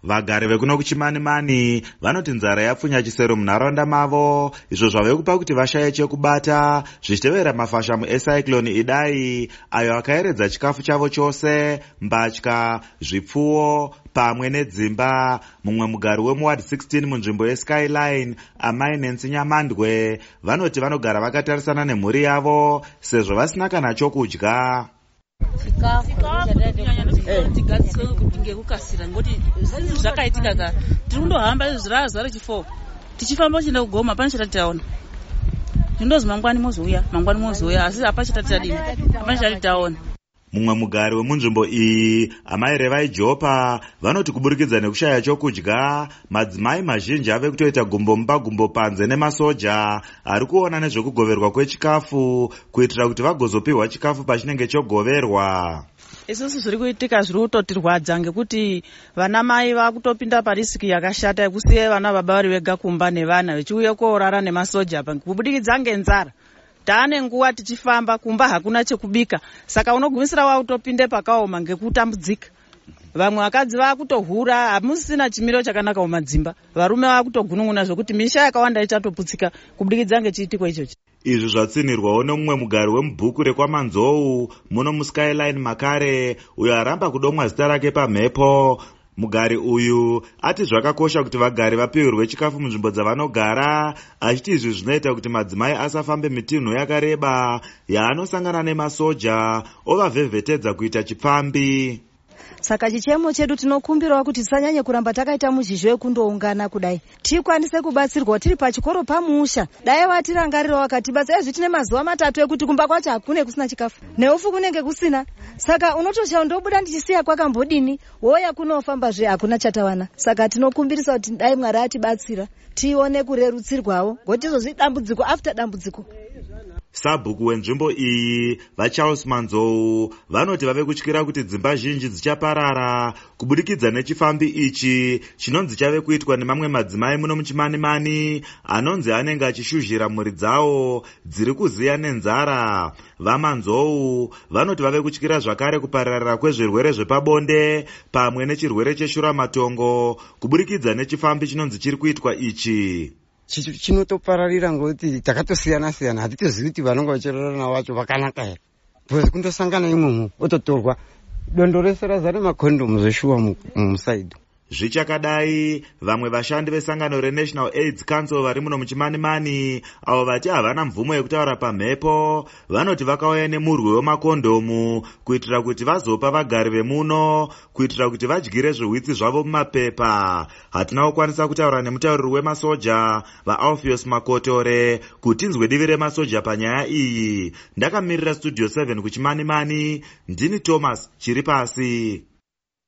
Vagari vekuno kuChimanimani vanoti nzara yapfunya chisero munharaunda mavo, izvo zvave kupa kuti vashaye chekubata zvichitevera mafashamu eCyclone Idai, ayo akaeredza chikafu chavo chose, mbatya, zvipfuwo pamwe nedzimba. Mumwe mugari wemuWard 16 munzvimbo yeSkyline, Amai Nancy Nyamandwe, vanoti vanogara vakatarisana nemhuri yavo sezvo vasina kana chokudya. Chikafu tigadziswe kuti ngekukasira, ngekuti zvinhu zvakaitika ka, tiri kundohamba izvi razuva rechi4 tichifamba kuchienda kugoma. Pane chatati taona, zvindozi mangwani mozouya, mangwani mozouya, asi hapana chatati tadini, hapana chatati taona. Mumwe mugari wemunzvimbo iyi, Amai Revai Jopa, vanoti kuburikidza nekushaya chokudya, madzimai mazhinji ave kutoita gumbo mumba gumbo panze nemasoja ari kuona nezvekugoverwa kwechikafu, kuitira kuti vagozopiwa chikafu pachinenge chogoverwa. Isusu zviri kuitika zviri kutotirwadza, ngekuti vana mai vakutopinda parisk yakashata yekusiya vana baba vari vega kumba nevana, vechiuya koorara nemasoja pa kubudikidza ngenzara. Taane nguva tichifamba, kumba hakuna chekubika, saka unogumisira wautopinde pakaoma ngekutambudzika. Vamwe vakadzi vakutohura, hamusisina chimiro chakanaka mumadzimba. Varume vakutogunun'una zvokuti misha yakawanda ichatoputsika kubudikidza ngechiitiko ichochi. Izvi zvatsinhirwawo nemumwe mugari wemubhuku rekwaManzou muno muSkyline makare, uyo aramba kudomwa zita rake pamhepo. Mugari uyu ati zvakakosha kuti vagari vapiwirwe chikafu munzvimbo dzavanogara, achiti izvi zvinoita kuti madzimai asafambe mitinho yakareba yaanosangana nemasoja ovavhevhetedza kuita chipfambi. Saka chichemo chedu, tinokumbirawo kuti tisanyanye kuramba takaita muzhizho wekundoungana kudai, tikwanise kubatsirwa tiri pachikoro pamusha. Dai vatirangarirawo vakatibatsira. Ezvi tine mazuva 3 ekuti kumba kwacho hakune kusina chikafu, neufu kunenge kusina, saka unotoshawa ndobuda ndichisiya kwakambodini, woya kunofambazve hakuna chatawana. Saka tinokumbirisa kuti dai Mwari atibatsira, tione kurerutsirwawo, ngokuti izvozvi dambudziko after dambudziko. Sabhuku wenzvimbo iyi, VaCharles Manzou, vanoti vave kutyira kuti dzimba zhinji dzichaparara kubudikidza nechifambi ichi chinonzi chave kuitwa nemamwe madzimai muno muChimanimani, anonzi anenge achishuzhira mhuri dzawo dziri kuziya nenzara. VaManzou vanoti vave kutyira zvakare kupararira kwezvirwere zvepabonde pamwe nechirwere cheshuramatongo kuburikidza nechifambi chinonzi chiri kuitwa ichi. Chinotopararira ngokuti takatosiyana siyana, hatitozivi kuti vanonge vachirarana navo vacho vakanaka here, because kundosangana imomo ototorwa dondo rese razara makondomu zveshuwa musaidi. Zvichakadai, vamwe vashandi vesangano reNational AIDS Council vari muno muChimanimani, avo vati havana mvumo yekutaura pamhepo, vanoti vakauya nemurwi wemakondomu kuitira kuti vazopa vagari vemuno, kuitira kuti vadyire zvihwitsi zvavo mumapepa. Hatina kukwanisa kutaura nemutauriri wemasoja, VaAlpheus Makotore, kuti tinzwe divi remasoja panyaya iyi. Ndakamirira Studio 7 kuChimanimani, ndini Thomas Chiripasi.